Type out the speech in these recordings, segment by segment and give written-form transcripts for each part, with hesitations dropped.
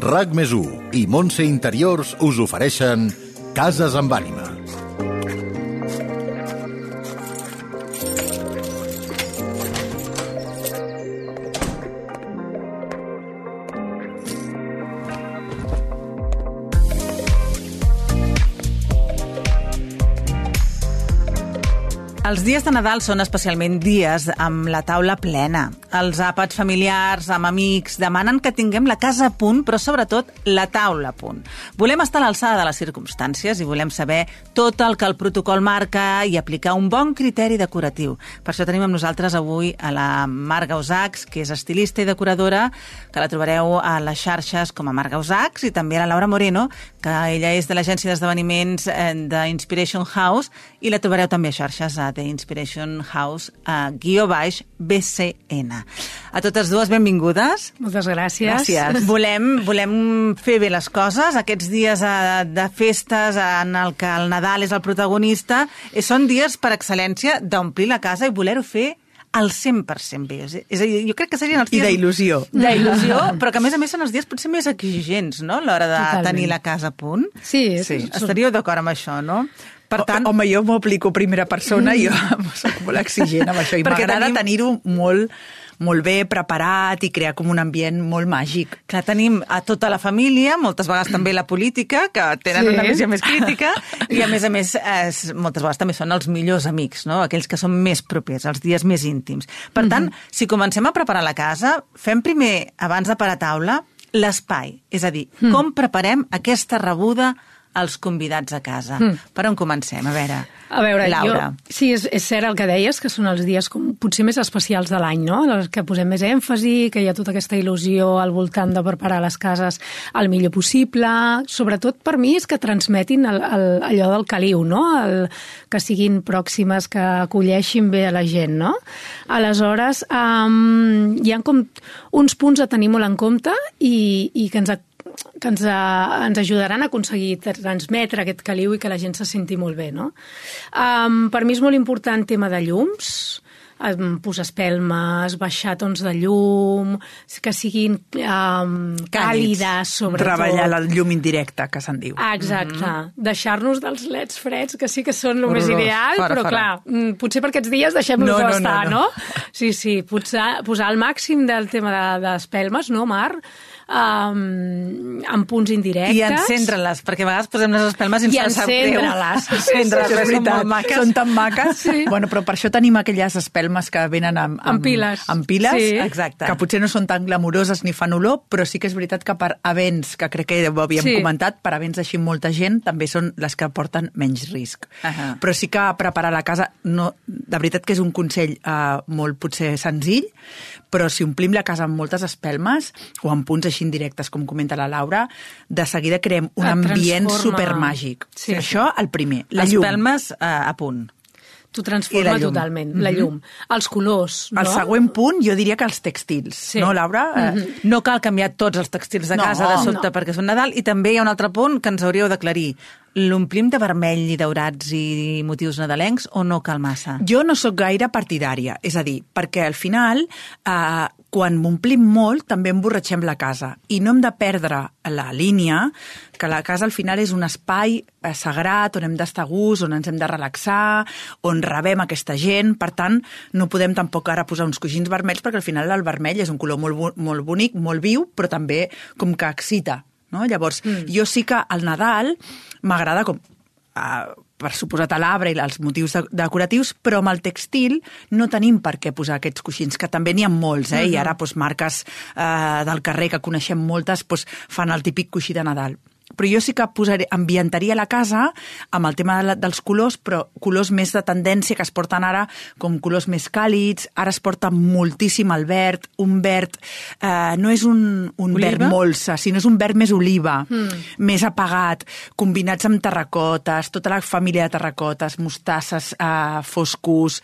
RAC+1 i Montse Interiors us ofereixen Cases amb ànima. Els dies de Nadal són especialment dies amb la taula plena. Els àpats familiars, amb amics, demanen que tinguem la casa a punt, però sobretot la taula a punt. Volem estar a l'alçada de les circumstàncies i volem saber tot el que el protocol marca i aplicar un bon criteri decoratiu. Per això tenim amb nosaltres avui a la Marga Usachs, que és estilista i decoradora, que la trobareu a les xarxes com a Marga Usachs, i també a la Laura Moreno, que ella és de l'agència d'esdeveniments d'Inspiration House, i la trobareu també a xarxes a The Inspiration House _BCN. A totes dues, benvingudes. Moltes gràcies. Gràcies. Volem fer bé les coses. Aquests dies de festes en el que el Nadal és el protagonista són dies per excel·lència d'omplir la casa i voler-ho fer al 100% bé. És a dir, jo crec que serien els dies... I d'il·lusió. D'il·lusió, però que a més són els dies potser més exigents, no?, a l'hora de tenir la casa a punt. Sí. Estaríeu d'acord amb això, no? Per tant... Home, jo m'ho aplico primera persona i jo soc molt exigent amb això i m'agrada tenir-ho molt bé preparat i crear com un ambient molt màgic. Clar, tenim a tota la família, moltes vegades també la política, que tenen una visió més crítica, i a més, moltes vegades també són els millors amics, no?, aquells que són més propers, els dies més íntims. Per tant, si comencem a preparar la casa, fem primer, abans de parar taula, l'espai. És a dir, com preparem aquesta rebuda als convidats a casa. Per on comencem? A veure, Laura. Sí, és cert el que deies, que són els dies com potser més especials de l'any, no?, els que posem més èmfasi, que hi ha tota aquesta il·lusió al voltant de preparar les cases el millor possible. Sobretot per mi és que transmetin allò del caliu, no?, que siguin pròximes, que acolleixin bé a la gent, no? Aleshores, hi ha com uns punts a tenir molt en compte i que ens ajudaran a aconseguir transmetre aquest caliu i que la gent se senti molt bé, no? Per mi és molt important tema de llums, posar espelmes, baixar tons de llum, que siguin càlides, sobretot. Treballar la llum indirecta, que se'n diu. Exacte. Deixar-nos dels leds freds, que sí que són el més ideal, però clar, potser per aquests dies deixem-los estar, no? Sí, posar el màxim del tema d'espelmes, no, Mar? Amb punts indirectes. I encendre-les, perquè a vegades posem les espelmes i ens sap greu. Encendre-les. Són molt maques. Són tan maques. Sí. Bueno, però per això tenim aquelles espelmes que venen amb piles. Amb piles, sí. Exacte. Que potser no són tan glamuroses ni fan olor, però sí que és veritat que per events, que crec que ho havíem comentat, per events així molta gent, també són les que porten menys risc. Però sí que preparar la casa, de veritat que és un consell molt potser senzill, però si omplim la casa amb moltes espelmes o amb punts així indirectes, com comenta la Laura, de seguida creem un ambient supermàgic. Sí. Això, el primer. La llum. Espelmes a punt. T'ho transforma totalment, la llum. Els colors, no? El següent punt, jo diria que els textils, no, Laura? No cal canviar tots els textils de casa de sobte perquè és un Nadal, i també hi ha un altre punt que ens hauríeu d'aclarir. L'omplim de vermell i daurats i motius nadalencs o no cal massa? Jo no sóc gaire partidària, és a dir, perquè al final, quan m'omplim molt, també emborratxem la casa. I no hem de perdre la línia, que la casa al final és un espai sagrat, on hem d'estar a gust, on ens hem de relaxar, on rebem aquesta gent. Per tant, no podem tampoc ara posar uns coixins vermells, perquè al final el vermell és un color molt bonic, molt viu, però també com que excita. No? Llavors, jo sí que al Nadal m'agrada com per suposat a l'arbre i els motius decoratius, però amb el textil no tenim per què posar aquests coixins, que també n'hi ha molts, i ara marques del carrer que coneixem moltes fan el típic coixí de Nadal. Però jo sí que ambientaria la casa amb el tema dels colors, però colors més de tendència que es porten ara, com colors més càlids. Ara es porta moltíssim el verd, un verd, no és un verd molsa, sinó és un verd més oliva, més apagat, combinats amb terracotes, tota la família de terracotes, mostasses foscos,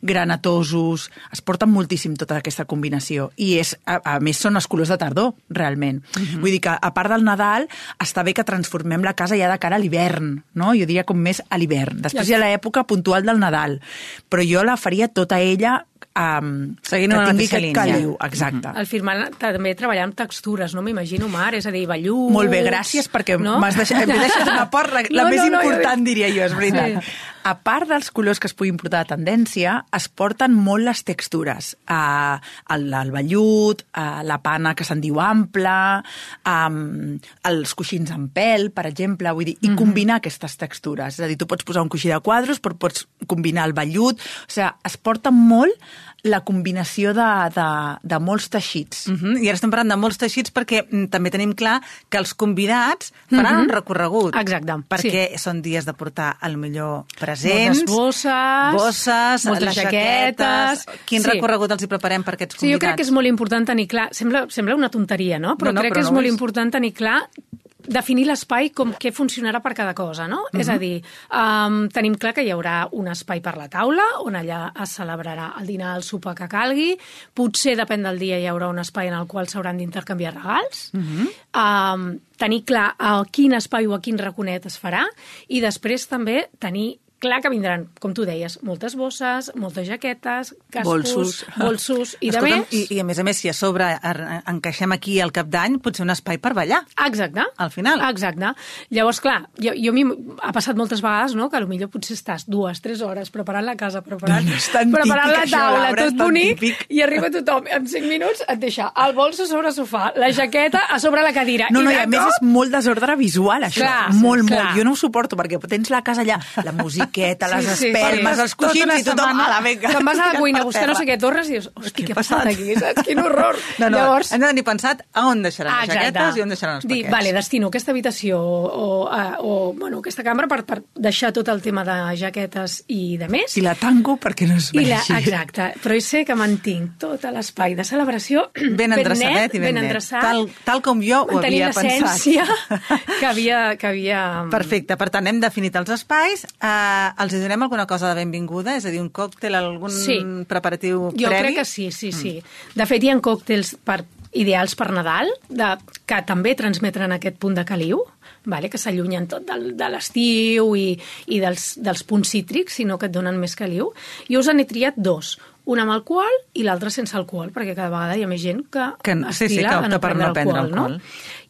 granatosos, es porten moltíssim tota aquesta combinació. I a més són els colors de tardor, realment. Vull dir que a part del Nadal està bé que transformem la casa ja de cara a l'hivern, no? Jo diria com més a l'hivern. Després hi ha l'època puntual del Nadal, però jo la faria tota ella seguint una mateixa línia. caliu. Exacte. Al firmar també treballar amb textures, no m'imagino, Mar, és a dir, velluts... Molt bé, gràcies, perquè m'he deixat una porta, la més important, diria jo, és veritat. Sí. A part dels colors que es puguin portar a tendència, es porten molt les textures. El vellut, la pana que se'n diu ampla, els coixins en pèl, per exemple, vull dir, i combinar aquestes textures. És a dir, tu pots posar un coixí de quadros, però pots combinar el vellut. O sigui, es porta molt la combinació de molts teixits. I ara estem parlant de molts teixits perquè també tenim clar que els convidats faran un recorregut. Exacte. Perquè són dies de portar, al millor, presents, bosses, moltes les jaquetes... Quin recorregut els hi preparem per aquests convidats? Sí, jo crec que és molt important tenir clar... Sembla una tonteria, no? Però crec que és molt important tenir clar definir l'espai com què funcionarà per cada cosa, no? És a dir, tenim clar que hi haurà un espai per la taula, on allà es celebrarà el dinar, el sopar que calgui. Potser, depèn del dia, hi haurà un espai en el qual s'hauran d'intercanviar regals. Tenir clar a quin espai o a quin raconet es farà. I després també tenir clar que vindran, com tu deies, moltes bosses, moltes jaquetes, cascos, bolsos i de més. I a més, si a sobre encaixem aquí al cap d'any, potser un espai per ballar. Exacte. Al final. Exacte. Llavors, clar, jo ha passat moltes vegades, no?, que potser potser estàs 2-3 hores preparant la casa, preparant la taula, tot bonic, i arriba tothom, en 5 minuts et deixa el bolso sobre el sofà, la jaqueta a sobre la cadira. No, i a més és molt desordre visual, això. Clar, molt. Clar. Jo no ho suporto, perquè tens la casa allà, la musiqueta, les espelmes, els coixins i tothom a la venga. Te'n vas a la cuina a buscar no sé què, tornes i dius, hosti, què ha passat aquí? Saps? Quin horror. Llavors, hem de tenir pensat a on deixaran les jaquetes i on deixaran els paquets. Vale, destino aquesta habitació o aquesta cambra per deixar tot el tema de jaquetes i de més. I la tanco perquè no es vegi. Exacte, però sé que mantinc tot l'espai de celebració ben endreçadet i ben net. Tal com jo ho havia pensat. Mantenint l'essència que havia... Perfecte, per tant, hem definit els espais, els donem alguna cosa de benvinguda? És a dir, un còctel, algun preparatiu previ? Jo crec que sí. De fet, hi ha còctels ideals per Nadal, que també transmetren aquest punt de caliu, que s'allunyen tot de l'estiu i dels punts cítrics, sinó que et donen més caliu. Jo us n'he triat 2. Un amb alcohol i l'altre sense alcohol, perquè cada vegada hi ha més gent que estila a no prendre alcohol. No?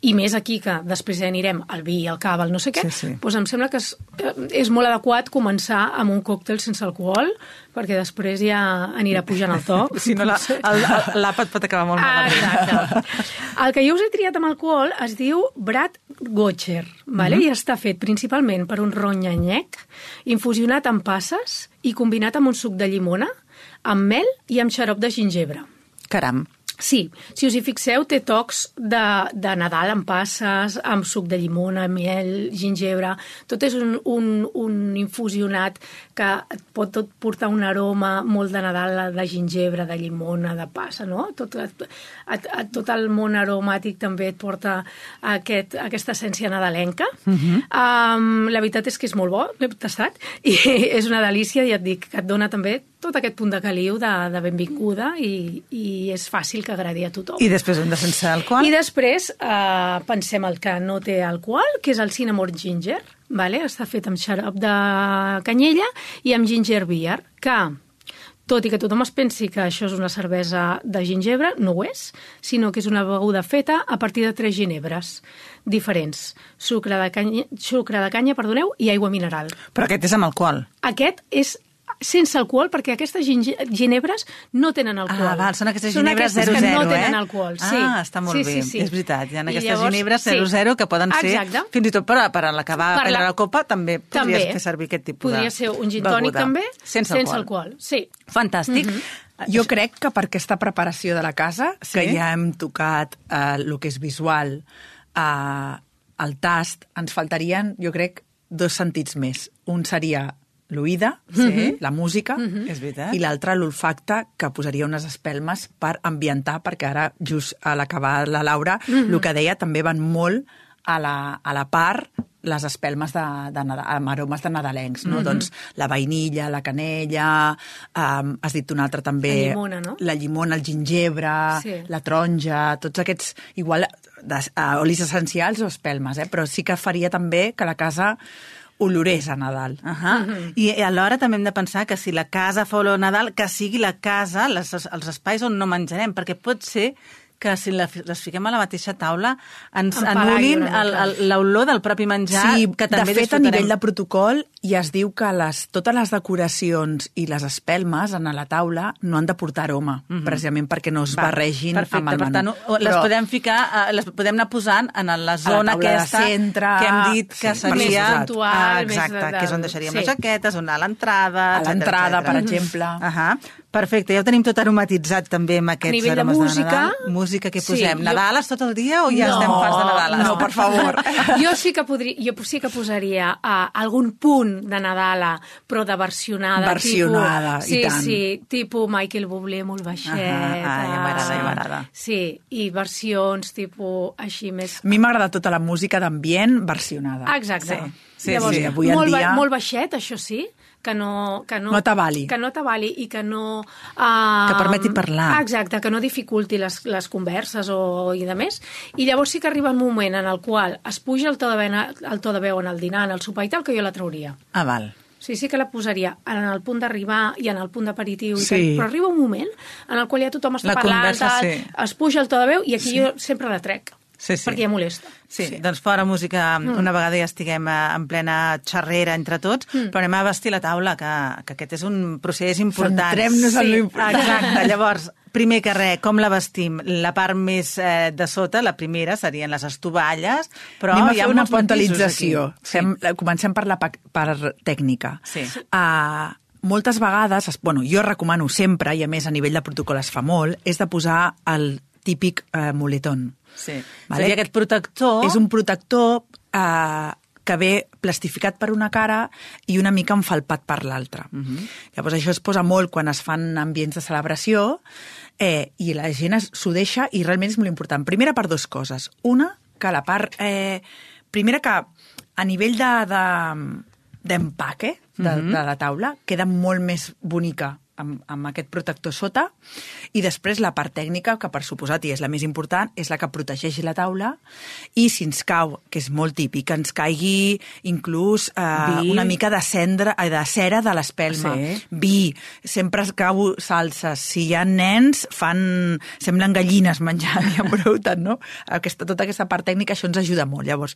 I més aquí, que després ja anirem al vi, al cava, al no sé què, doncs em sembla que és molt adequat començar amb un còctel sense alcohol, perquè després ja anirà pujant el to. Si no, l'àpat pot acabar molt malament. Exacte. El que jo us he triat amb alcohol es diu Brad Gotcher, i està fet principalment per un ron nyanyec, infusionat amb passes i combinat amb un suc de llimona, amb mel i amb xarop de gingebre. Caram. Sí, si us hi fixeu, té tocs de Nadal amb passes, amb suc de llimona, mel, gingebre... Tot és un infusionat que et pot portar un aroma molt de Nadal, de gingebre, de llimona, de passa, no? Tot el món aromàtic també et porta aquesta essència nadalenca. La veritat és que és molt bo, l'he tastat, i és una delícia, i et dic que et dona també tot aquest punt de caliu, de benvinguda, i és fàcil que agradi a tothom. I després un de sense alcohol? I després pensem el que no té alcohol, que és el cinnamon ginger, està fet amb xarop de canyella i amb ginger beer, que, tot i que tothom es pensi que això és una cervesa de gingebre, no ho és, sinó que és una beguda feta a partir de 3 ginebres diferents. Sucre de canya, i aigua mineral. Però aquest és amb alcohol? Aquest és sense alcohol, perquè aquestes ginebres no tenen alcohol. Són aquestes ginebres 0-0, que no tenen alcohol, sí. Està molt bé. Sí. És veritat, hi ha aquestes ginebres 0-0 que poden ser, fins i tot per acabar a prendre la copa, també podries fer servir aquest tipus de beguda. Podria ser un gin tònic també, sense alcohol. Sí. Fantàstic. Jo crec que per aquesta preparació de la casa, que ja hem tocat el que és visual, el tast, ens faltarien, jo crec, 2 sentits més. Un seria l'oïda, la música, i l'altre l'olfacte, que posaria unes espelmes per ambientar, perquè ara, just a l'acabar la Laura, el que deia també van molt a la part les espelmes amb aromes de nadalencs, no? Doncs la vainilla, la canella, has dit un altre també... La llimona, no? La llimona, el gingebre, la taronja, tots aquests, igual, olis essencials o espelmes, però sí que faria també que la casa olorés a Nadal. I alhora també hem de pensar que si la casa fa olor a Nadal, que sigui la casa, els espais on no menjarem, perquè pot ser que si les fiquem a la mateixa taula ens anul·lin l'olor del propi menjar, que també disfrutarem. De fet, a nivell de protocol ja es diu que totes les decoracions i les espelmes a la taula no han de portar aroma, precisament perquè no es barregin amb el menú. Per tant, les podem ficar, les podem anar posant en la zona aquesta que hem dit que seria... Exacte, que és on deixaríem les jaquetes, on a l'entrada... A l'entrada, per exemple. Perfecte, ja ho tenim tot aromatitzat també amb aquests aromes de Nadal. Música que posem. Nadales tot el dia o ja estem fas de Nadales? No, per favor. Jo sí que posaria algun punt de Nadala, però de versionada. Versionada, i tant. Sí, tipus Michael Bublé molt baixet. Ja m'agrada. Sí, i versions tipus així més... A mi m'agrada tota la música d'ambient versionada. Exacte. Llavors, avui en dia... Molt baixet, això sí, que no t'avali. Que no t'avali i que no... que permeti parlar. Exacte, que no dificulti les converses i de més. I llavors sí que arriba un moment en el qual es puja el to de veu en el dinar, en el sopar i tal, que jo la trauria. Val. Sí que la posaria en el punt d'arribar i en el punt d'aperitiu, però arriba un moment en el qual ja tothom està parlant, es puja el to de veu i aquí jo sempre la trec. Perquè ja molesta. Sí, doncs fora música, una vegada ja estiguem en plena xerrera entre tots, però anem a vestir la taula, que aquest és un procés important. Centrem-nos en l'important. Exacte, llavors, primer que res, com la vestim? La part més de sota, la primera, serien les estovalles, però anem a hi ha fer una molts puntualització. Comencem per la part tècnica. Moltes vegades, jo recomano sempre, i a més a nivell de protocol es fa molt, és de posar el típic moletón. Seria aquest protector... És un protector que ve plastificat per una cara i una mica enfalpat per l'altra. Llavors això es posa molt quan es fan ambients de celebració i la gent s'ho deixa i realment és molt important. Primera, per dues coses. Una, que la part... primera, que a nivell d'empaque de la taula queda molt més bonica amb aquest protector sota, i després la part tècnica, que per suposat i és la més important, és la que protegeixi la taula, i si ens cau, que és molt típic, ens caigui inclús una mica de cera de l'espelma. Vi, sempre es cau salses. Si hi ha nens, semblen gallines menjant i embrouten, no? Tota aquesta part tècnica, això ens ajuda molt. Llavors,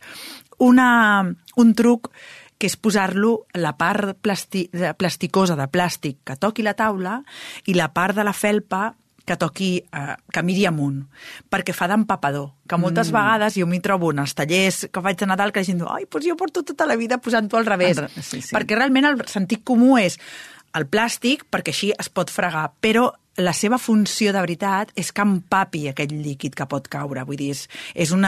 un truc que és posar-lo la part plasticosa de plàstic que toqui la taula i la part de la felpa que miri amunt, perquè fa d'empapador, que moltes vegades jo m'hi trobo en els tallers que faig de Nadal que la gent diu, doncs jo porto tota la vida posant-ho al revés, perquè realment el sentit comú és el plàstic, perquè així es pot fregar, però la seva funció de veritat és que empapi aquell líquid que pot caure. Vull dir, és un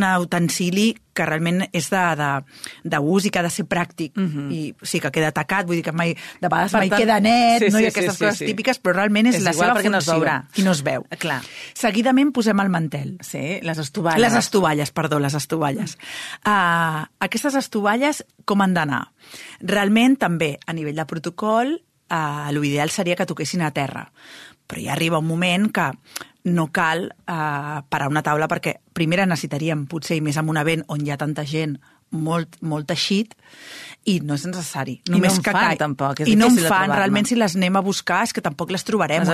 utensili que realment és d'ús i que ha de ser pràctic. I sí que queda tacat, vull dir que de vegades mai queda net, no hi ha aquestes coses típiques, però realment és la seva funció. I no es veu. Seguidament posem el mantel. Sí, les estovalles. Les estovalles. Aquestes estovalles com han d'anar? Realment també a nivell de protocol l'ideal seria que toquessin a terra, però ja arriba un moment que no cal parar una taula perquè primer necessitaríem, potser i més en un event on hi ha tanta gent, molt teixit, i no és necessari. I no en fan, tampoc. I no en fan, realment, si les anem a buscar, és que tampoc les trobarem,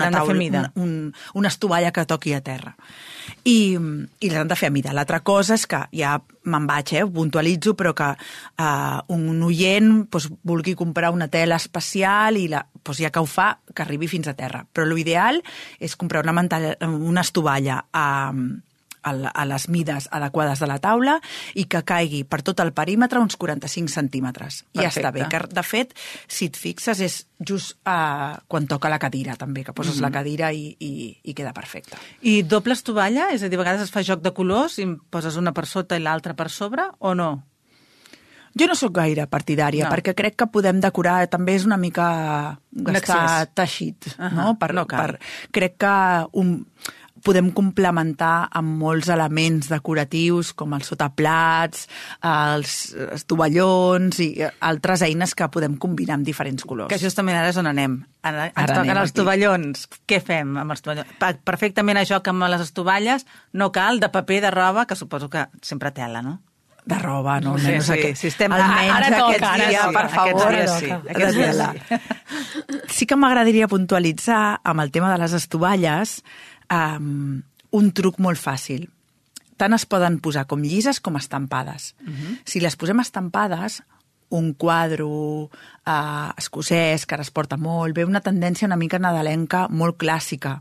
una estovalla que toqui a terra. I les han de fer a mida. L'altra cosa és que ja me'n vaig, ho puntualitzo, però que un oient vulgui comprar una tela especial i ja que ho fa, que arribi fins a terra. Però l'ideal és comprar una estovalla a les mides adequades de la taula i que caigui per tot el perímetre uns 45 centímetres. I ja està bé. Que, de fet, si et fixes, és just quan toca la cadira, també, que poses la cadira i queda perfecte. I doble estovalla? És a dir, a vegades es fa joc de colors i poses una per sota i l'altra per sobre, o no? Jo no sóc gaire partidària, perquè crec que podem decorar, també és una mica gastar teixit. Crec que podem complementar amb molts elements decoratius com els sotaplats, els tovallons i altres eines que podem combinar amb diferents colors. Que justament ara és on anem. Ens toquen els tovallons. Què fem amb els tovallons? Perfectament a joc amb les estovalles, no cal de paper, de roba, que suposo que sempre tela, no? De roba, no? Sí, si estem... Ara toca, per favor. Aquests dies sí. Sí que m'agradaria puntualitzar amb el tema de les estovalles un truc molt fàcil. Tant es poden posar com llises com estampades. Si les posem estampades, un quadre escocès, que ara es porta molt, ve una tendència una mica nadalenca molt clàssica.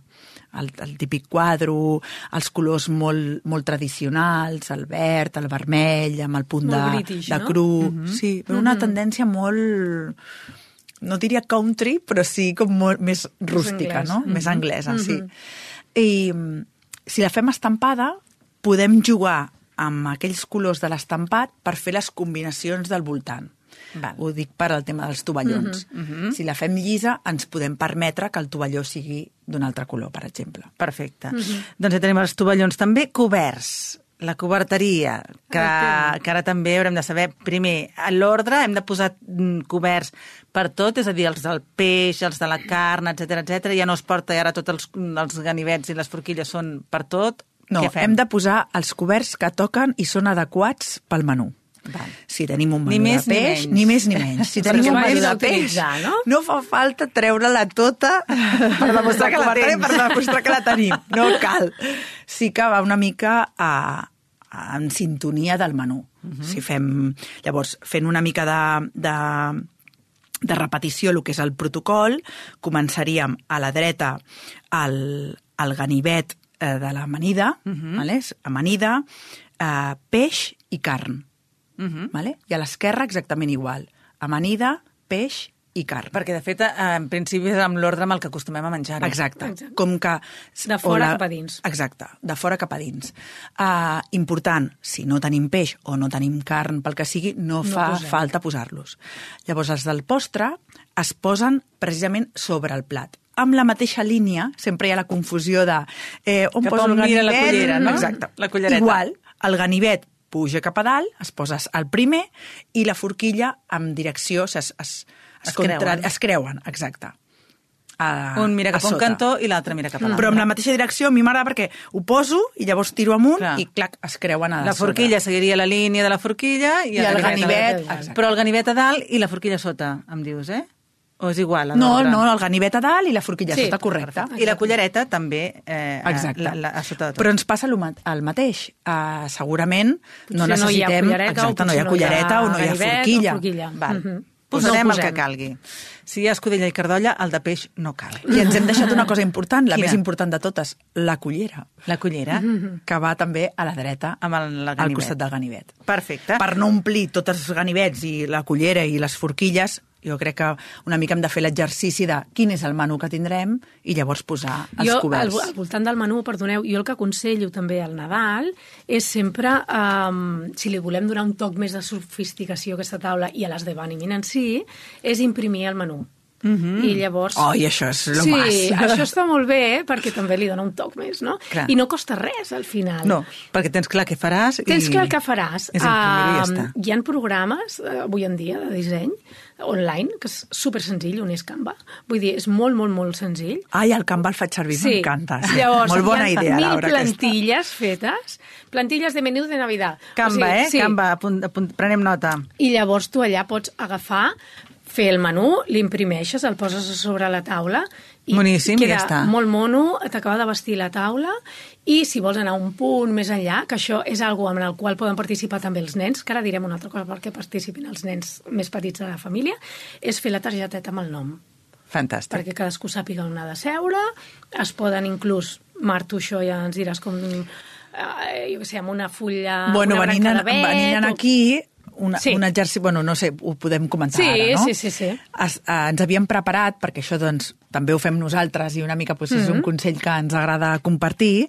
El típic quadre, els colors molt tradicionals, el verd, el vermell, amb el punt British, de cru. Sí, una tendència molt, no diria country, però sí com molt més rústica, no? Més anglesa, sí. I si la fem estampada, podem jugar amb aquells colors de l'estampat per fer les combinacions del voltant. Val. Ho dic per al tema dels tovallons. Si la fem llisa, ens podem permetre que el tovalló sigui d'un altre color, per exemple. Perfecte. Doncs ja tenim els tovallons. També coberts, la coberteria, que ara també haurem de saber, primer, a l'ordre hem de posar coberts per tot, és a dir, els del peix, els de la carn, etc. Ja no es porta, i ara tots els ganivets i les forquilles són per tot. No, hem de posar els coberts que toquen i són adequats pel menú. Val. Si tenim un menú de peix, ni més ni menys. Si tenim un menú de peix, no fa falta treure-la tota per demostrar que la tenim. No cal. Sí que va una mica en sintonia del menú. Si llavors, fent una mica de repetició, el que és el protocol, començaríem a la dreta el ganivet de l'amanida, amanida, peix i carn. I a l'esquerra exactament igual. Amanida, peix i carn. Perquè, de fet, en principi és amb l'ordre amb el que acostumem a menjar-ho. Exacte. Com que... De fora cap a dins. Exacte, de fora cap a dins. Important, si no tenim peix o no tenim carn, pel que sigui, no fa falta posar-los. Llavors, els del postre es posen precisament sobre el plat. Amb la mateixa línia, sempre hi ha la confusió de on poso el ganivet... la cullera, no? Exacte. La cullereta. Igual, el ganivet puja cap a dalt, es posa al primer, i la forquilla en direcció, es creuen, exacte. Un mira cap a un cantó i l'altre mira cap a l'altre. Però amb la mateixa direcció a mi m'agrada perquè ho poso i llavors tiro amunt i clac, es creuen a la forquilla seguiria la línia de la forquilla i el ganivet. Però el ganivet a dalt i la forquilla a sota, em dius, eh? O és igual? No, el ganivet a dalt i la forquilla a sota, correcte. I la cullereta també a sota de tot. Però ens passa el mateix. Segurament no necessitem... No hi ha cullereta o no hi ha forquilla. Posarem el que calgui. Si hi ha escudella i cardolla, el de peix no cal. I ens hem deixat una cosa important, la més important de totes, la cullera. La cullera. Que va també a la dreta, al costat del ganivet. Perfecte. Per no omplir tots els ganivets i la cullera i les forquilles, jo crec que una mica hem de fer l'exercici de quin és el menú que tindrem i llavors posar els coberts. Jo, al voltant del menú, perdoneu, jo el que aconsello també al Nadal és sempre, si li volem donar un toc més de sofisticació a aquesta taula i a l'esdeveniment en si, és imprimir el menú. I llavors... I això és lo más. Sí, això està molt bé perquè també li dona un toc més, no? Clar. I no costa res al final. No, perquè tens clar què faràs. Tens clar què faràs. És imprimir i ja està. Hi ha programes, avui en dia, de disseny online, que és supersenzill, on és Canva. Vull dir, és molt, molt, molt senzill. El Canva el faig servir, m'encanta. Sí. Llavors, molt bona idea, Laura. Laura. 1000 plantilles fetes, plantilles de menú de Navidad. Canva, Sí. Canva, prenem nota. I llavors tu allà pots agafar, fer el menú, l'imprimeixes, el poses a sobre la taula i boníssim, queda ja està. Molt mono, t'acaba de vestir la taula i si vols anar un punt més enllà, que això és algo amb el qual poden participar també els nens, que ara direm una altra cosa perquè participin els nens més petits de la família, és fer la targeteta amb el nom. Fantàstic. Perquè cadascú sàpiga on ha de seure, es poden inclús, Marta, això ja ens diràs com, jo què sé, amb una fulla, una branca de vet... Venint aquí... un exercici, no sé, ho podem comentar ara, no? Sí. Ens havíem preparat, perquè això, doncs, també ho fem nosaltres i una mica és un consell que ens agrada compartir,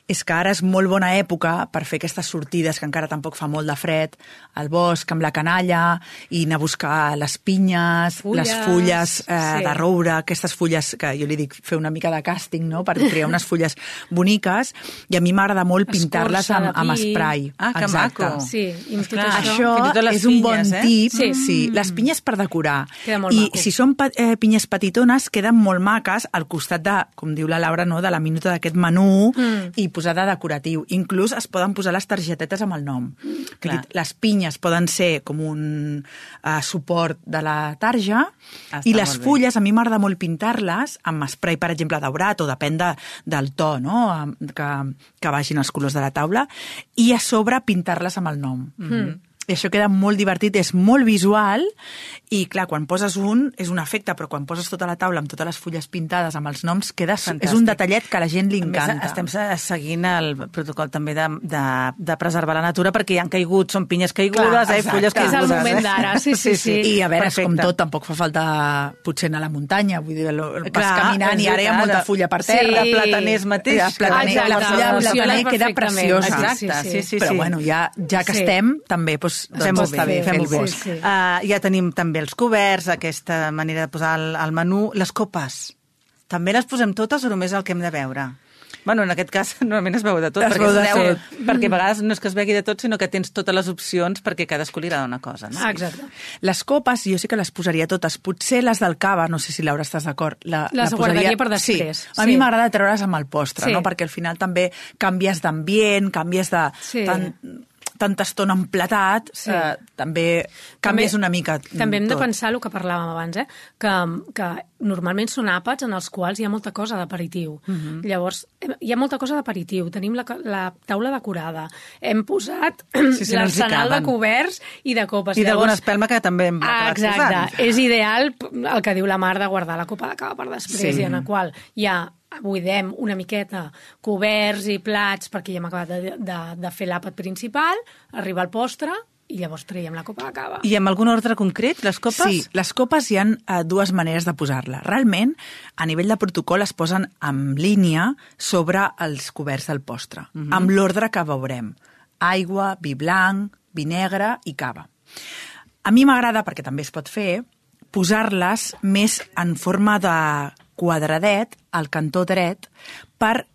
és que ara és molt bona època per fer aquestes sortides que encara tampoc fa molt de fred, al bosc amb la canalla, i anar a buscar les pinyes, les fulles de roure, aquestes fulles que jo li dic fer una mica de càsting, no?, per crear unes fulles boniques, i a mi m'agrada molt pintar-les amb spray. Que maco. Sí, i tot això és un bon tip. Sí, les pinyes per decorar. I si són pinyes petitones, queden molt maques al costat de, com diu la Laura, no, de la minuta d'aquest menú i posar de decoratiu. Inclús es poden posar les targetetes amb el nom. Les pinyes poden ser com un suport de la tarja i les fulles, a mi m'agrada molt pintar-les amb spray, per exemple, daurat, o depèn del to, no?, que vagin els colors de la taula, i a sobre pintar-les amb el nom. I això queda molt divertit, és molt visual, i clar, quan poses és un efecte, però quan poses tota la taula amb totes les fulles pintades amb els noms, és un detallet que a la gent li encanta. A més, estem seguint el protocol també de preservar la natura, perquè hi han caigut, són pinyes caigudes, fulles caigudes. És el moment d'ara, sí. I a veure, com tot, tampoc fa falta potser anar a la muntanya, vull dir, vas caminant i ara hi ha molta fulla per terra. Plataners mateix. La fulla de plataner queda preciosa. Exacte, sí. Però bueno, ja que estem, també, fem-ho bé. Ja tenim també els coberts, aquesta manera de posar el menú. Les copes, també les posem totes o només el que hem de veure? Bueno, en aquest cas normalment es veu de tot, perquè a vegades no és que es vegi de tot, sinó que tens totes les opcions perquè cadascú li agrada una cosa. No? Exacte. Les copes, jo sí que les posaria totes. Potser les del cava, no sé si Laura estàs d'acord. Les guardaria per després. Sí. A mi m'agrada treure's amb el postre, no? Perquè al final també canvies d'ambient, canvies de... tanta estona emplatat, també canvies una mica També hem de pensar el que parlàvem abans, que normalment són àpats en els quals hi ha molta cosa d'aperitiu. Llavors, hi ha molta cosa d'aperitiu. Tenim la taula decorada. Hem posat l'arsenal de coberts i de copes. I d'alguna espelma que també hem acabat posant. Exacte. És ideal el que diu la Mar de guardar la copa de cava per després, i en el qual hi ha buidem una miqueta coberts i plats perquè ja hem acabat de fer l'àpat principal, arriba el postre i llavors traiem la copa de cava. I amb algun ordre concret, les copes? Sí, les copes hi ha dues maneres de posar-la. Realment, a nivell de protocol es posen en línia sobre els coberts del postre, amb l'ordre que veurem. Aigua, vi blanc, vi negre i cava. A mi m'agrada, perquè també es pot fer, posar-les més en forma de quadradet al cantó dret per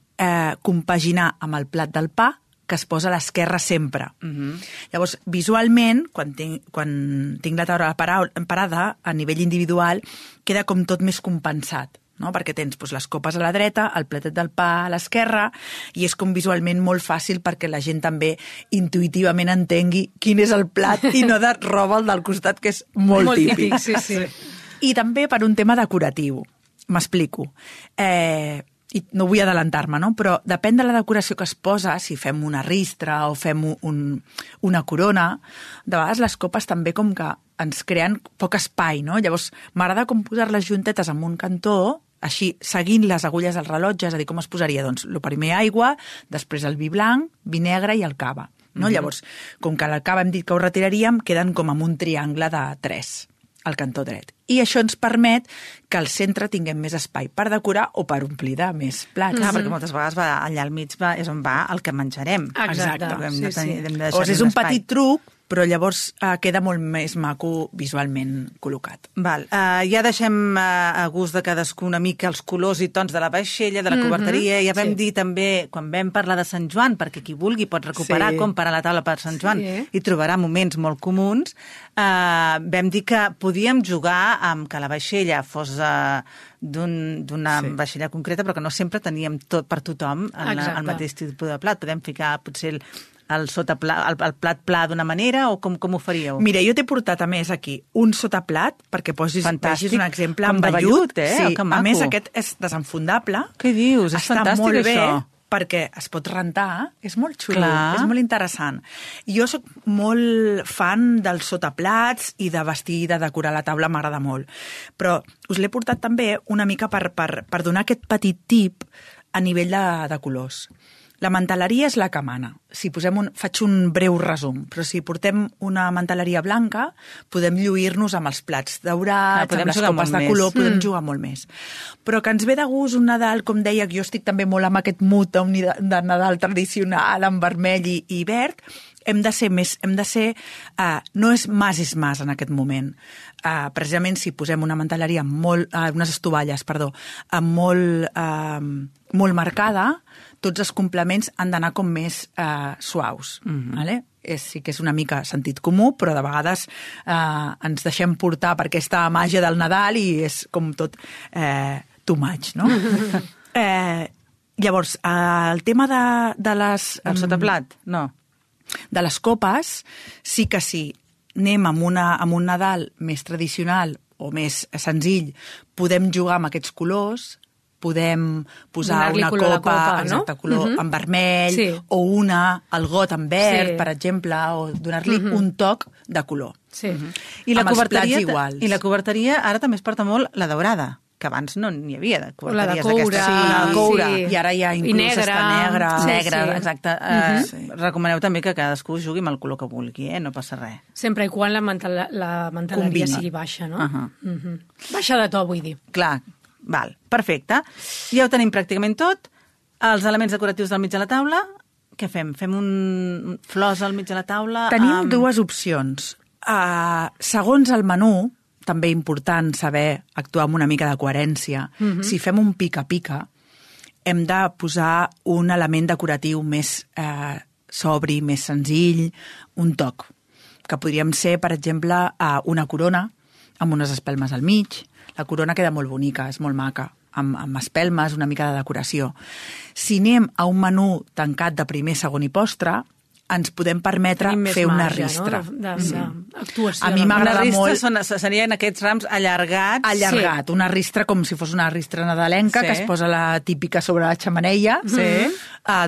compaginar amb el plat del pa que es posa a l'esquerra sempre. Llavors, visualment, quan tinc la taula parada, a nivell individual, queda com tot més compensat, no? Perquè tens les copes a la dreta, el platet del pa a l'esquerra, i és com visualment molt fàcil perquè la gent també intuïtivament entengui quin és el plat i no de roba el del costat, que és molt típic. Sí. I també per un tema decoratiu. M'explico. I no vull adelantar-me, no? Però depèn de la decoració que es posa, si fem una ristra o fem una corona, de vegades les copes també com que ens creen poc espai, no? Llavors, m'agrada com posar-les juntetes en un cantó, així, seguint les agulles del rellotge, és a dir, com es posaria? Doncs, el primer aigua, després el vi blanc, vi negre i el cava. No? Llavors, com que el cava hem dit que ho retiraríem, queden com amb un triangle de 3 al cantó dret. I això ens permet que al centre tinguem més espai per decorar o per omplir de més plats. Perquè moltes vegades allà al mig és on va el que menjarem. Exacte. O sigui, és un petit truc, però llavors queda molt més maco visualment col·locat. Val. Ja deixem a gust de cadascú una mica els colors i tons de la vaixella, de la coberteria. Ja vam dir també, quan vam parlar de Sant Joan, perquè qui vulgui pot recuperar com parar la taula per Sant Joan i trobarà moments molt comuns, vam dir que podíem jugar amb que la vaixella fos d'una vaixella concreta, però que no sempre teníem tot per tothom el mateix tipus de plat. Podem ficar potser el plat pla d'una manera o com ho faríeu? Mira, jo t'he portat a més aquí un sotaplat perquè vegis un exemple amb vellut. Sí. A més, aquest és desenfundable. Què dius? És fantàstic, molt bé, això. perquè es pot rentar, és molt xulo, és molt interessant. Jo sóc molt fan dels sotaplats i de vestir, de decorar la taula, m'agrada molt. Però us l'he portat també una mica per donar aquest petit tip a nivell de colors. La manteleria és la que mana. faig un breu resum, però si portem una manteleria blanca, podem lluir-nos amb els plats daurats, amb les copes de color, podem jugar molt més. Però que ens ve de gust un Nadal, com deia, que jo estic també molt amb aquest mood de Nadal tradicional, amb vermell i verd, hem de ser, no és mas en aquest moment. Precisament si posem una manteleria unes estovalles, molt marcada, tots els complements han d'anar com més suaus. Vale? Sí que és una mica sentit comú, però de vegades ens deixem portar per aquesta màgia del Nadal i és com tot too much, no? Llavors, el tema de les... El sotaplat, no. De les copes, sí que sí. Anem amb un Nadal més tradicional o més senzill, podem jugar amb aquests colors, podem posar una copa, exacte, color en vermell, o el got en verd, per exemple, o donar-li un toc de color. Sí. I la coberteria ara també es porta molt la daurada, que abans no n'hi havia de coberteries d'aquestes. La de coure. I ara ja inclús està negra. Exacte. Recomaneu també que cadascú jugui amb el color que vulgui, no passa res. Sempre i quan la manteleria sigui baixa, no? Baixa de to, vull dir. Clar. Val, perfecte. Ja ho tenim pràcticament tot. Els elements decoratius del mig de la taula, què fem? Fem flors al mig de la taula? Tenim dues opcions. Segons el menú, també important saber actuar amb una mica de coherència. Si fem un pica-pica, hem de posar un element decoratiu més sobri, més senzill, un toc, que podríem ser, per exemple, una corona amb unes espelmes al mig. La corona queda molt bonica, és molt maca, amb espelmes, una mica de decoració. Si anem a un menú tancat de primer, segon i postre, ens podem permetre fer una ristra. D'actuació. A mi m'agrada molt... Serien aquests rams allargats. Allargat, una ristra com si fos una ristra nadalenca, que es posa la típica sobre la xemeneia.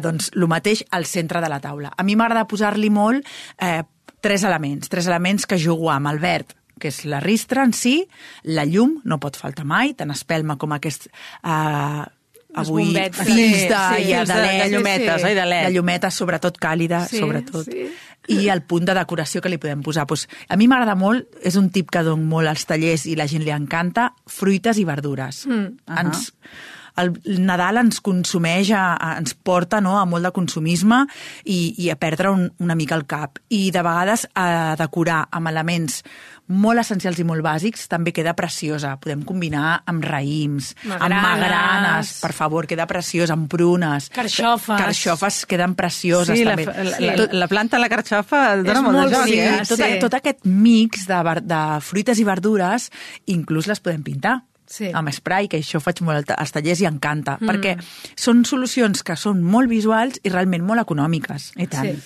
Doncs el mateix al centre de la taula. A mi m'agrada posar-li molt tres elements que jugo amb el verd, que és la ristra en si, la llum, no pot faltar mai, tant espelma com aquest... avui fills de llumetes, oi, de LED. De llumetes, sobretot càlida, sobretot. I el punt de decoració que li podem posar. A mi m'agrada molt, és un tip que dono molt als tallers i la gent li encanta, fruites i verdures. El Nadal ens consumeix, ens porta a molt de consumisme i a perdre una mica el cap. I de vegades a decorar amb elements molt essencials i molt bàsics també queda preciosa. Podem combinar amb raïms, amb magranes, per favor, queda preciós, amb prunes. Carxofes queden precioses. Sí, també. La planta de la carxofa dona molt de joc. Tot aquest mix de fruites i verdures, inclús les podem pintar. Amb spray, que això faig molt als tallers i encanta, perquè són solucions que són molt visuals i realment molt econòmiques. I tant.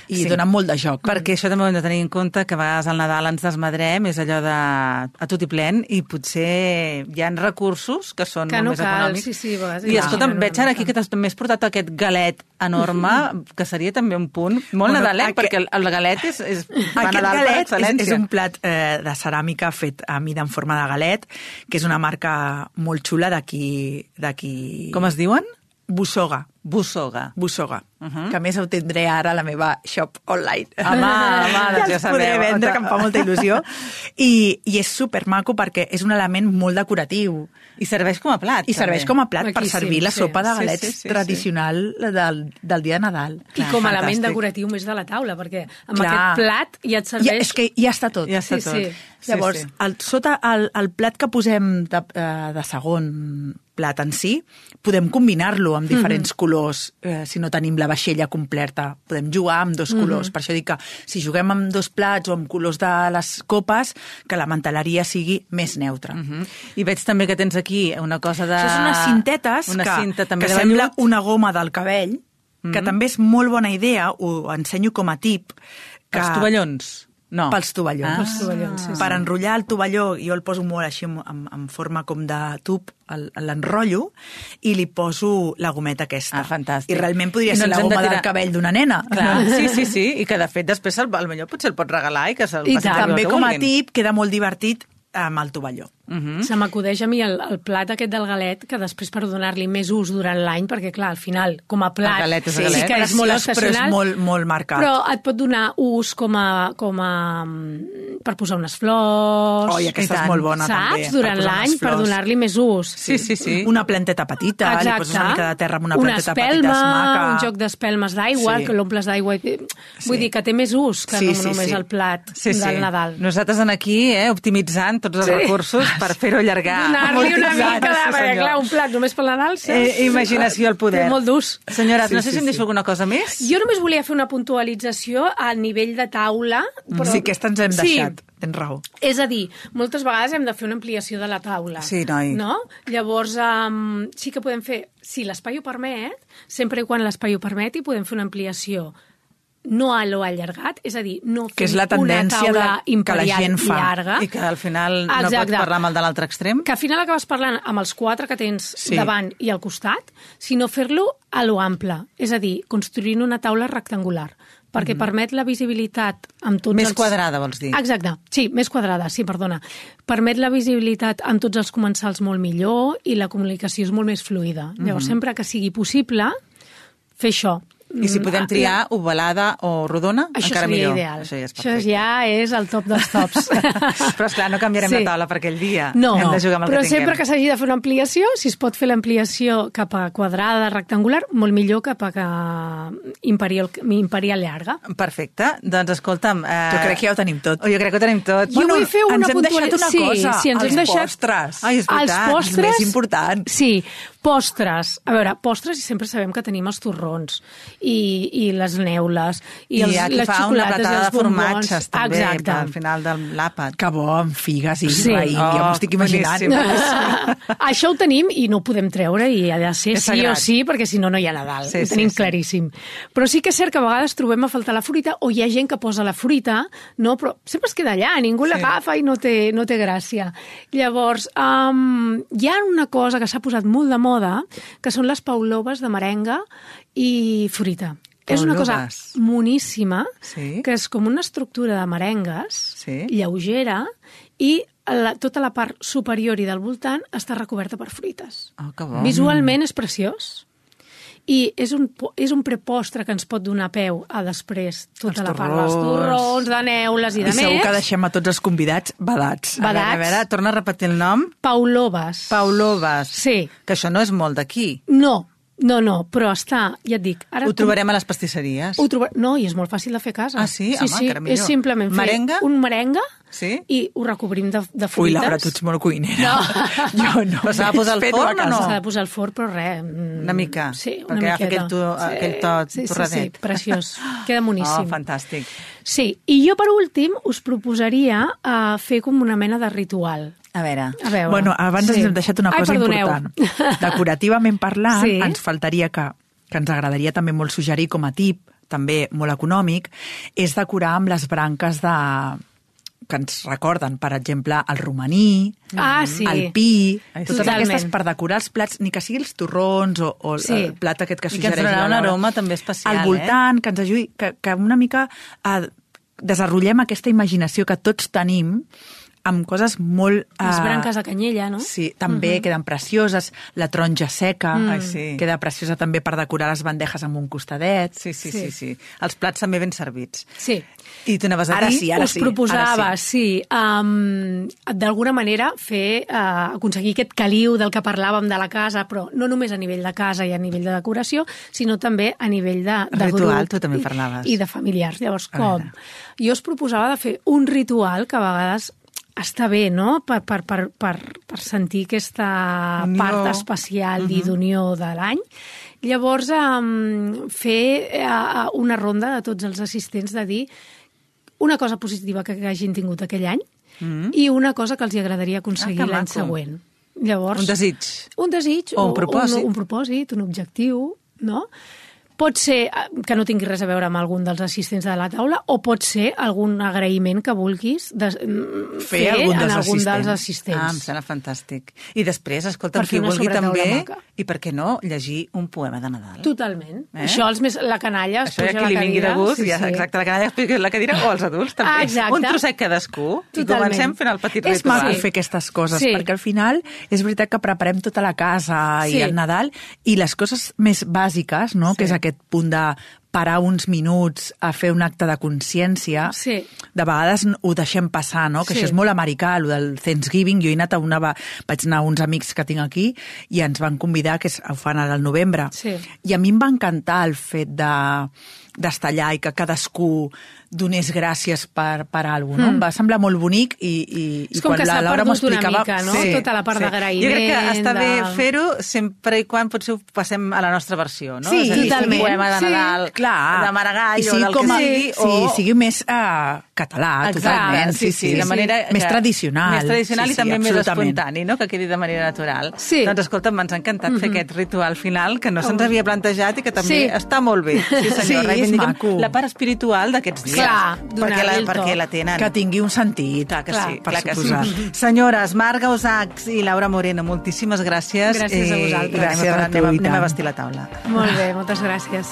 I donen molt de joc. Perquè això també ho hem de tenir en compte, que a vegades al Nadal ens desmadrem, és allò de a tot i plen, i potser hi ha recursos que són molt més econòmics. I escolta, veig ara aquí que també has portat aquest galet enorme, que seria també un punt molt nadalenc, perquè el galet és Aquest galet és un plat de ceràmica fet a mida en forma de galet, que és una marca molt xula d'aquí... Com es diuen? Bussoga. Que a més ho tindré ara a la meva shop online. Ja els podré vendre, que em fa molta il·lusió. I és supermaco perquè és un element molt decoratiu. I serveix com a plat. I serveix com a plat per servir la sopa de galets tradicional del dia de Nadal. I com a element decoratiu més de la taula, perquè amb aquest plat ja et serveix... És que ja està tot. Llavors, sota el plat que posem de segon plat en si, podem combinar-lo amb diferents colors. Si no tenim la vaixella completa, podem jugar amb dos colors. Per això dic que si juguem amb dos plats o amb colors de les copes, que la manteleria sigui més neutra. I veig també que tens aquí una cosa de... Això són unes cintetes que sembla una goma del cabell, que també és molt bona idea, ho ensenyo com a tip. Els tovallons. No. Pels tovallons. Per enrotllar el tovalló, jo el poso molt així en forma com de tub, l'enrotllo i li poso la gometa aquesta. Fantàstic. I realment podria ser la goma del cabell d'una nena. Clar, sí. I que de fet després potser el pots regalar i que se'l passi. També com a tip queda molt divertit amb el tovalló. Se m'acudeix a mi el plat aquest del galet, que després per donar-li més ús durant l'any, perquè clar, al final, com a plat, El galet és sí galet. que és molt Però estacional, és molt, molt marcat. però et pot donar ús com a per posar unes flors... Oi, aquesta és molt bona, també. Saps? Durant l'any, per donar-li més ús. Sí. Una planteta petita, li poses una mica de terra amb una planteta petita, és espelma, maca. un joc d'espelmes d'aigua, Sí. que l'omples d'aigua. Vull dir que té més ús que no només el plat del Nadal. Nosaltres aquí, optimitzant tots els recursos per fer-ho allargar. Donar-li una mica de... Sí, Perquè, senyor. clar, un plat només pel Nadal... Imaginació al poder. Té molt d'ús. Senyores, no sé si em deixo alguna cosa més. Jo només volia fer una puntualització a nivell de taula. Però... Sí, aquesta ens hem deixat. Tens raó. És a dir, moltes vegades hem de fer una ampliació de la taula. Sí, noi. No? Llavors, sí que podem fer, si l'espai ho permet, sempre i quan l'espai ho permeti, podem fer una ampliació no a lo allargat, és a dir, no Que és fer la tendència una taula que la imperial gent fa. llarga. I que al final no Exacte. pots parlar amb el de l'altre extrem. Que al final acabes parlant amb els 4 que tens Sí. davant i al costat, sinó fer-lo a lo ample, és a dir, construint una taula rectangular, perquè permet la visibilitat amb tots Més els... quadrada, vols dir? Exacte, sí, més quadrada, sí, perdona. Permet la visibilitat amb tots els comensals molt millor i la comunicació és molt més fluida. Llavors, sempre que sigui possible, fer això. I si podem triar ovalada o rodona, Això encara seria millor. ideal. Això ja és Això perfecte. ja és el top dels tops. Però, esclar, no canviarem la taula per aquell dia. No, Hem de jugar amb el però que tinguem. sempre que s'hagi de fer una ampliació, si es pot fer l'ampliació cap a quadrada, rectangular, molt millor cap a imperial llarga. Perfecte. Doncs, escolta'm... Jo crec que ja ho tenim tot. Jo crec que ho tenim tot. Jo vull fer una ens hem deixat una cosa, Sí, ens els hem deixat... postres. Ai, és veritat, els postres... els més importants. Sí, postres. A veure, postres, i sempre sabem que tenim els torrons i les neules i aquí les fa una xocolates i platada els de bombons. formatges, també, Exacte. al final de l'àpat. Que bo, amb figues i Sí. raïm, ja m'ho estic imaginant. boníssim. Això ho tenim i no ho podem treure i ha de ser És sí o sagrat. sí, perquè si no, no hi ha Nadal. Sí, ho sí, tenim sí. claríssim. Però sí que és cert que a vegades trobem a faltar la fruita o hi ha gent que posa la fruita, no? Però sempre es queda allà, ningú l'agafa i no té gràcia. Llavors, hi ha una cosa que s'ha posat molt de moda, que són les pauloves de merenga i fruita. És una cosa Pauloves. moníssima, Sí. que és com una estructura de merengues, Sí. lleugera, i tota la part superior i del voltant està recoberta per fruites. Oh, que bo. Visualment és preciós. I és un prepostre que ens pot donar peu a després tota Els la part dels torrons, de neules i de I segur més. que deixem a tots els convidats badats. Badats. A veure, torna a repetir el nom. Pauloves. Pauloves. Sí. Que això no és molt d'aquí. No, però està, ja et dic... Ara Ho trobarem a les pastisseries. No, i és molt fàcil de fer a casa. Ah, sí? Home, encara millor. És simplement fer Merenga? un merenga Sí? i ho recobrim de fruites. Ui, Laura, tu ets molt cuinera. Jo no. Però s'ha de posar al Fes-ho forn a o no? S'ha de posar al forn, però res. Una mica? Sí, una Perquè agafa miqueta. aquell to sí, torradet. Sí, preciós. Queda boníssim. Oh, fantàstic. Sí, i jo per últim us proposaria fer com una mena de ritual. A veure. A veure. Bueno, abans ens hem deixat una cosa perdoneu. important. Decorativament parlant, Sí. ens faltaria que ens agradaria també molt suggerir com a tip, també molt econòmic, és decorar amb les branques que ens recorden, per exemple, el romaní, Sí. el pi, Ai, totes totalment. aquestes per decorar els plats, ni que sigui els torrons o Sí. el plat aquest que I que ens suggereix donarà la un Laura. aroma també especial, Al voltant, que ens ajudi, que una mica desenvolupem aquesta imaginació que tots tenim amb coses molt... Les branques de canyella, no? Sí, també queden precioses. La taronja seca Ai, sí. queda preciosa també per decorar les bandejes amb un costadet. Sí. Els plats també ben servits. Sí. I tu anaves a Ara dir... sí, ara us proposava, ara sí, d'alguna manera aconseguir aquest caliu del que parlàvem de la casa, però no només a nivell de casa i a nivell de decoració, sinó també a nivell de Ritual, grup tu també parlaves. i de familiars. Llavors, A com? veure. Jo us proposava de fer un ritual que a vegades està bé, no?, per sentir aquesta Unió. part especial i d'unió de l'any. Llavors, fer una ronda de tots els assistents de dir una cosa positiva que hagin tingut aquell any i una cosa que els agradaria aconseguir que l'any maco. següent. Llavors, Un desig. Un desig O un propòsit. un propòsit, un objectiu, no? Pot ser que no tingui res a veure amb algun dels assistents de la taula o pot ser algun agraïment que vulguis fer algun en algun assistents. dels assistents. Em sembla fantàstic. I després, escolta, Per fer qui una vulgui sobretaula també, maca. i per què no, llegir un poema de Nadal. Totalment. Això, la canalla es Això ja puja a qui la li vingui de cadira. gust, exacte, la canalla es puja a la cadira o els adults també. Exacte. Un trosset cadascú. I Totalment. comencem fent el petit És ritual. maco fer aquestes coses, Sí. perquè al final és veritat que preparem tota la casa Sí. i el Nadal, i les coses més bàsiques, no? Que és aquest punt de parar uns minuts a fer un acte de consciència, Sí. de vegades ho deixem passar, no? Que Sí. això és molt americà, el del Thanksgiving. Jo he anat vaig anar a uns amics que tinc aquí i ens van convidar, que ho fan ara al novembre. Sí. I a mi em va encantar el fet d'estar allà i que cadascú donés gràcies per alguna cosa, no? Em va semblar molt bonic i És com quan que s'ha la Laura m'ho perdut una explicava... mica, no? Tota la part d'agraïment. Jo crec que està bé de- fer-ho sempre i quan potser ho passem a la nostra versió, no? Sí, és a dir, totalment. un poema de Sí, Nadal, clar. de Maragall I o sigui del com que a- sigui. Sí, sigui més català, Exacte, totalment. sí, de manera Més que- tradicional. Més tradicional Sí, i també més absolutament. espontani, no? Que quedi de manera natural. Sí. Doncs escolta'm, ens ha encantat fer aquest ritual final que no se'ns havia plantejat i que també Sí. està molt bé. Sí, senyor, Sí, és reivindiquem maco. la part espiritual d'aquests dies. Clar, donar-li el to. perquè la tenen. Que tingui un sentit, Clar que Clar, sí, per clar que suposar. sí. Senyores, Marga Osacs i Laura Moreno, moltíssimes gràcies. Gràcies a vosaltres. Gràcies a tu, i anem a tant. vestir la taula. Molt bé, moltes gràcies.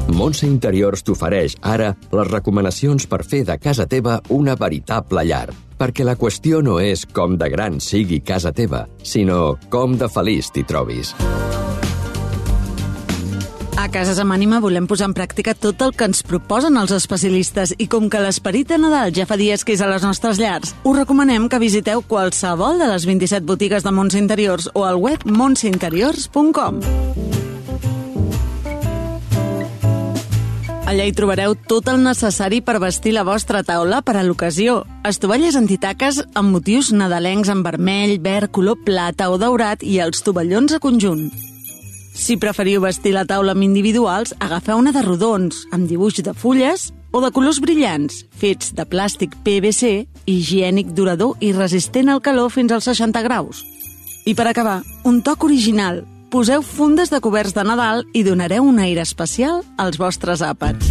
Montse Interiors t'ofereix ara les recomanacions per fer de casa teva una veritable llar. Perquè la qüestió no és com de gran sigui casa teva, sinó com de feliç t'hi trobis. A Cases amb Ànima volem posar en pràctica tot el que ens proposen els especialistes i com que l'esperit de Nadal ja fa dies que és a les nostres llars, us recomanem que visiteu qualsevol de les 27 botigues de Montse Interiors o al web montseinteriors.com. Allà hi trobareu tot el necessari per vestir la vostra taula per a l'ocasió. Estovalles antitaques amb motius nadalencs en vermell, verd, color plata o daurat i els tovallons a conjunt. Si preferiu vestir la taula amb individuals, agafeu una de rodons, amb dibuix de fulles o de colors brillants, fets de plàstic PVC, higiènic, durador i resistent al calor fins als 60 graus. I per acabar, un toc original. Poseu fundes de coberts de Nadal i donareu un aire especial als vostres àpats.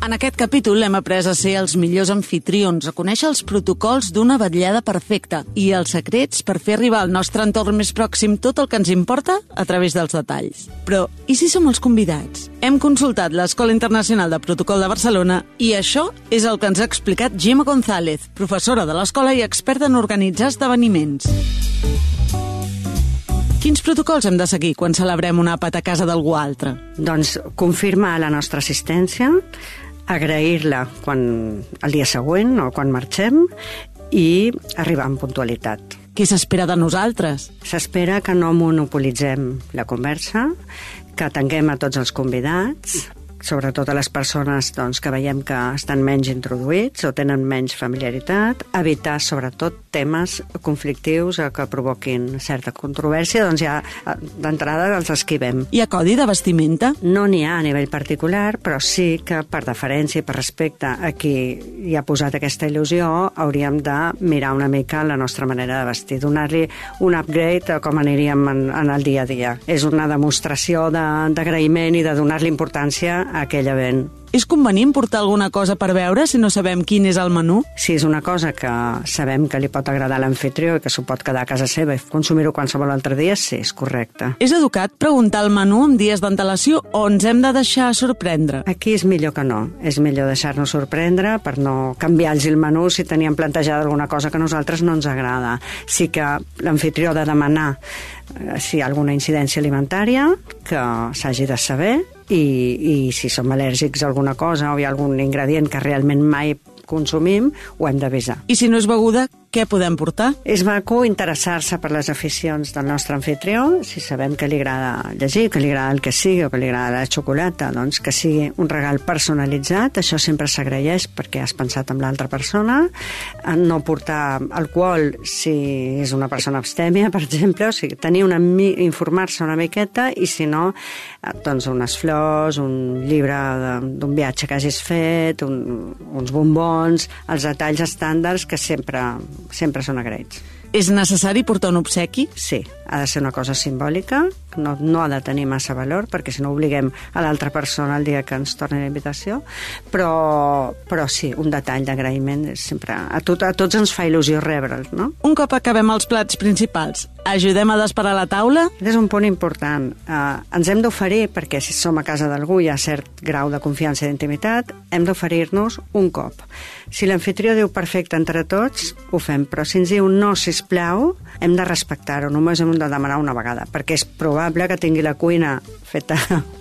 En aquest capítol hem après a ser els millors anfitrions, a conèixer els protocols d'una vetllada perfecta i els secrets per fer arribar al nostre entorn més pròxim tot el que ens importa a través dels detalls. Però, i si som els convidats? Hem consultat l'Escola Internacional de Protocol de Barcelona i això és el que ens ha explicat Gemma González, professora de l'escola i experta en organitzar esdeveniments. Quins protocols hem de seguir quan celebrem un àpat a casa d'algú altre? Doncs confirmar la nostra assistència, agrair-la el dia següent o quan marxem i arribar amb puntualitat. Què s'espera de nosaltres? S'espera que no monopolitzem la conversa, que atenguem a tots els convidats, sobretot a les persones que veiem que estan menys introduïts o tenen menys familiaritat, evitar sobretot temes conflictius que provoquin certa controvèrsia, doncs ja d'entrada els esquivem. Hi ha codi de vestimenta? No n'hi ha a nivell particular, però sí que per deferència i per respecte a qui hi ha posat aquesta il·lusió hauríem de mirar una mica la nostra manera de vestir, donar-li un upgrade a com aniríem en el dia a dia. És una demostració d'agraïment i de donar-li importància a aquell event. És convenient portar alguna cosa per veure si no sabem quin és el menú? Si és una cosa que sabem que li pot agradar a l'amfitrió i que s'ho pot quedar a casa seva i consumir-ho qualsevol altre dia, sí, és correcte. És educat preguntar el menú amb dies d'antelació o ens hem de deixar sorprendre? Aquí és millor que no. És millor deixar-nos sorprendre per no canviar-los el menú si teníem plantejada alguna cosa que a nosaltres no ens agrada. Sí que l'amfitrió ha de demanar si hi ha alguna incidència alimentària que s'hagi de saber i si som al·lèrgics a alguna cosa o hi ha algun ingredient que realment mai consumim, ho hem d'avisar. I si no és beguda, què podem portar? És maco interessar-se per les aficions del nostre anfitrió, si sabem que li agrada llegir, que li agrada el que sigui, o que li agrada la xocolata, doncs que sigui un regal personalitzat, això sempre s'agraeix perquè has pensat en l'altra persona. No portar alcohol si és una persona abstèmia, per exemple, o sigui, informar-se una miqueta, i si no, doncs unes flors, un llibre d'un viatge que hagis fet, uns bombons, els detalls estàndards que sempre són agraïts. És necessari portar un obsequi? Sí, ha de ser una cosa simbòlica, no ha de tenir massa valor, perquè si no obliguem a l'altra persona el dia que ens torni la invitació, però sí, un detall d'agraïment sempre... A tots ens fa il·lusió rebre'ls, no? Un cop acabem els plats principals, ajudem a desparar la taula? És un punt important. Ens hem d'oferir, perquè si som a casa d'algú hi ha cert grau de confiança i d'intimitat, hem d'oferir-nos un cop. Si l'anfitrió diu perfecte entre tots, ho fem, però si ens diu no, sisplau, hem de respectar-ho, només hem de demanar una vegada, perquè és probable que tingui la cuina feta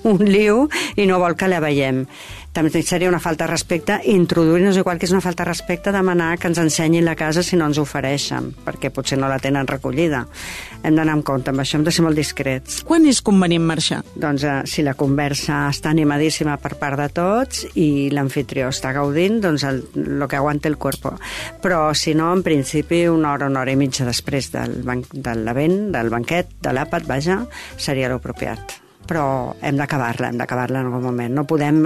un liu i no vol que la veiem. També seria una falta de respecte introduir-nos, igual que és una falta de respecte demanar que ens ensenyin la casa si no ens ofereixen, perquè potser no la tenen recollida. Hem d'anar amb compte amb això, hem de ser molt discrets. Quan és convenient marxar? Doncs si la conversa està animadíssima per part de tots i l'anfitrió està gaudint, doncs el que aguanta el cuerpo. Però si no, en principi, una hora i mitja després del banquet, de l'àpat, vaja, seria l'apropiat. Però hem d'acabar-la en algun moment. No podem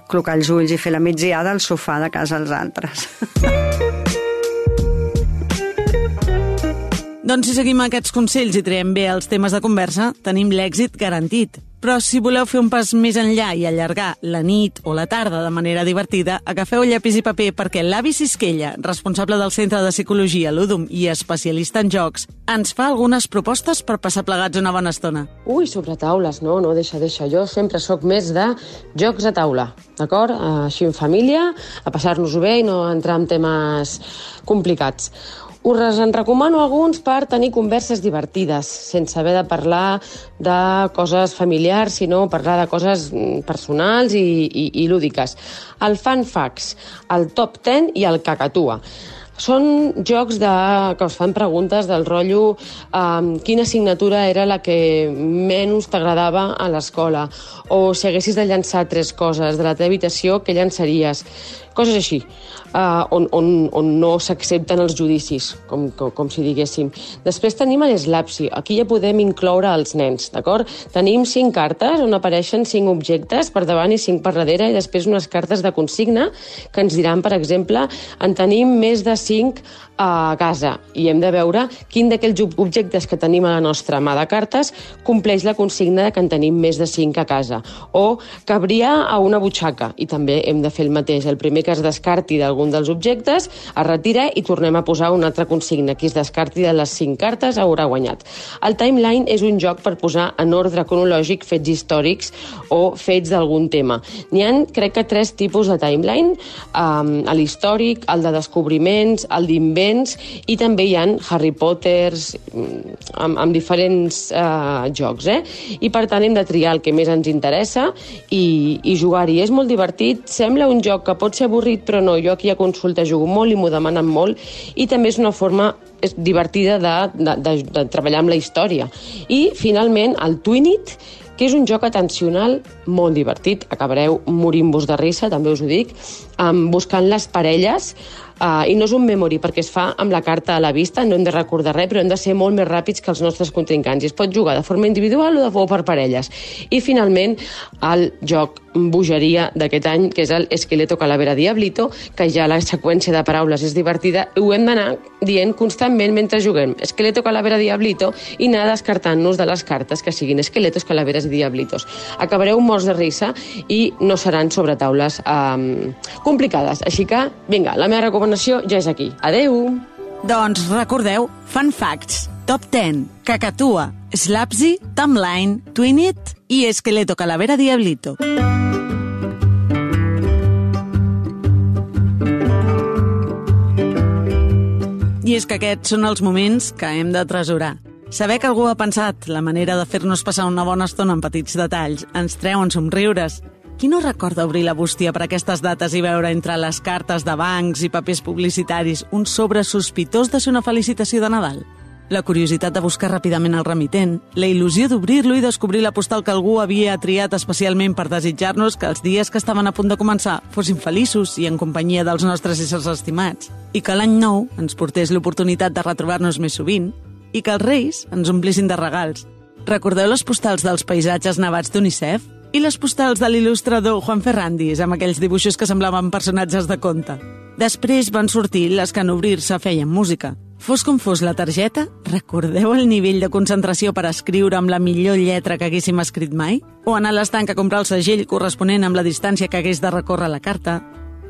clocar els ulls i fer la migdiada al sofà de casa als altres. Doncs si seguim aquests consells i traiem bé els temes de conversa, tenim l'èxit garantit. Però si voleu fer un pas més enllà i allargar la nit o la tarda de manera divertida, agafeu llapis i paper perquè l'Avi Sisquella, responsable del Centre de Psicologia Ludum i especialista en jocs, ens fa algunes propostes per passar plegats una bona estona. Sobre taules, no, deixa. Jo sempre sóc més de jocs a taula, d'acord? Així en família, a passar-nos-ho bé i no entrar en temes complicats. Us en recomano alguns per tenir converses divertides, sense haver de parlar de coses familiars, sinó parlar de coses personals i lúdiques. El Fun Facts, el Top 10 i el Cacatua. Són jocs que us fan preguntes del rotllo quina assignatura era la que menys t'agradava a l'escola, o si haguessis de llançar 3 coses de la teva habitació, què llançaries? Coses així, on no s'accepten els judicis, com si diguéssim. Després tenim l'Slapsi. Aquí ja podem incloure els nens, d'acord? Tenim 5 cartes on apareixen 5 objectes per davant i 5 per darrere, i després unes cartes de consigna que ens diran, per exemple, en tenim més de 5 a casa, i hem de veure quin d'aquells objectes que tenim a la nostra mà de cartes compleix la consigna de que en tenim més de 5 a casa, o cabria a una butxaca, i també hem de fer el mateix. El primer que es descarti d'algun dels objectes es retira i tornem a posar una altra consigna. Qui es descarti de les 5 cartes haurà guanyat. El Timeline és un joc per posar en ordre cronològic fets històrics o fets d'algun tema. N'hi ha, crec que 3 tipus de Timeline, l'històric, el de descobriments, el d'invents, i també hi ha Harry Potters amb diferents jocs, i per tant hem de triar el que més ens interessa i jugar-hi. És molt divertit, sembla un joc que pot ser avorrit, però no, jo aquí a consulta jugo molt i m'ho demanen molt, i també és una forma divertida de treballar amb la història. I finalment el Twinit, que és un joc atencional molt divertit, acabareu morint-vos de risa, també us ho dic, buscant les parelles, i no és un memory perquè es fa amb la carta a la vista, no hem de recordar res, però hem de ser molt més ràpids que els nostres contrincants, i es pot jugar de forma individual o per parelles. I finalment el joc bogeria d'aquest any, que és el Esqueleto Calavera Diablito, que ja la seqüència de paraules és divertida, ho hem d'anar dient constantment mentre juguem Esqueleto Calavera Diablito i anar descartant-nos de les cartes que siguin esqueletos, calaveres i diablitos. Acabareu morts de risa i no seran sobre taules complicades. Així que, vinga, la meva recomanació ja és aquí. Adeu! Doncs recordeu, Fun Facts, Top 10, Cacatua, Slapsi, Timeline, Twinit i Esqueleto Calavera Diablito. I és que aquests són els moments que hem de tresurar. Saber que algú ha pensat la manera de fer-nos passar una bona estona amb petits detalls ens treuen somriures. Qui no recorda obrir la bústia per aquestes dates i veure entre les cartes de bancs i papers publicitaris un sobre sospitós de ser una felicitació de Nadal? La curiositat de buscar ràpidament el remitent, la il·lusió d'obrir-lo i descobrir la postal que algú havia triat especialment per desitjar-nos que els dies que estaven a punt de començar fossin feliços i en companyia dels nostres éssers estimats, i que l'any nou ens portés l'oportunitat de retrobar-nos més sovint, i que els reis ens omplissin de regals. Recordeu les postals dels paisatges nevats d'UNICEF? I les postals de l'il·lustrador Juan Ferrandis, amb aquells dibuixos que semblaven personatges de conte? Després van sortir les que en obrir-se feien música. Fos com fos la targeta, recordeu el nivell de concentració per escriure amb la millor lletra que haguéssim escrit mai? O anar a l'estanc a comprar el segell corresponent amb la distància que hagués de recórrer la carta?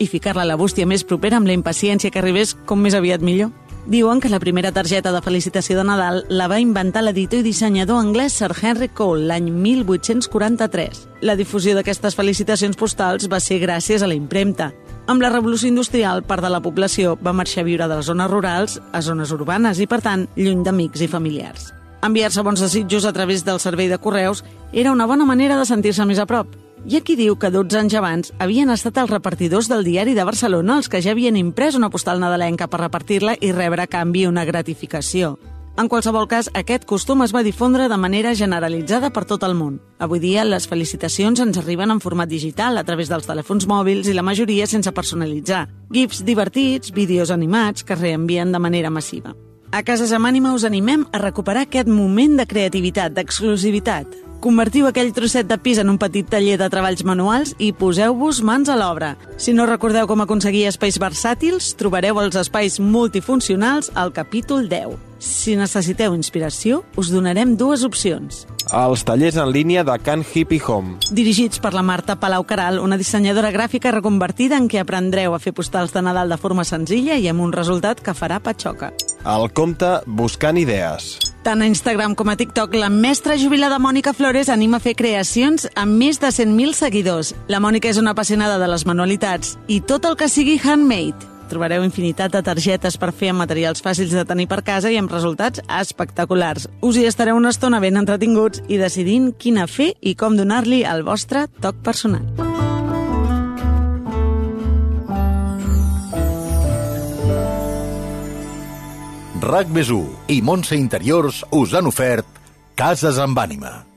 I ficar-la a la bústia més propera amb la impaciència que arribés com més aviat millor? Diuen que la primera targeta de felicitació de Nadal la va inventar l'editor i dissenyador anglès Sir Henry Cole l'any 1843. La difusió d'aquestes felicitacions postals va ser gràcies a la impremta. Amb la revolució industrial, part de la població va marxar a viure de les zones rurals a zones urbanes i, per tant, lluny d'amics i familiars. Enviar-se bons desitjos a través del servei de correus era una bona manera de sentir-se més a prop. Hi ha qui diu que 12 anys abans havien estat els repartidors del diari de Barcelona els que ja havien imprès una postal nadalenca per repartir-la i rebre a canvi una gratificació. En qualsevol cas, aquest costum es va difondre de manera generalitzada per tot el món. Avui dia, les felicitacions ens arriben en format digital a través dels telèfons mòbils i la majoria sense personalitzar. GIFs divertits, vídeos animats que es reenvien de manera massiva. A Cases amb Ànima us animem a recuperar aquest moment de creativitat, d'exclusivitat. Convertiu aquell trosset de pis en un petit taller de treballs manuals i poseu-vos mans a l'obra. Si no recordeu com aconseguir espais versàtils, trobareu els espais multifuncionals al capítol 10. Si necessiteu inspiració, us donarem 2 opcions. Els tallers en línia de Can Hippie Home. Dirigits per la Marta Palau Caral, una dissenyadora gràfica reconvertida en què aprendreu a fer postals de Nadal de forma senzilla i amb un resultat que farà patxoca. El compte Buscant Idees. Tant a Instagram com a TikTok, la mestra jubilada Mònica Flores anima a fer creacions amb més de 100.000 seguidors. La Mònica és una apassionada de les manualitats i tot el que sigui handmade. Trobareu infinitat de targetes per fer amb materials fàcils de tenir per casa i amb resultats espectaculars. Us hi estareu una estona ben entretinguts i decidint quina fer i com donar-li el vostre toc personal. RAC+1 i Montse Interiors us han ofert Cases amb Ànima.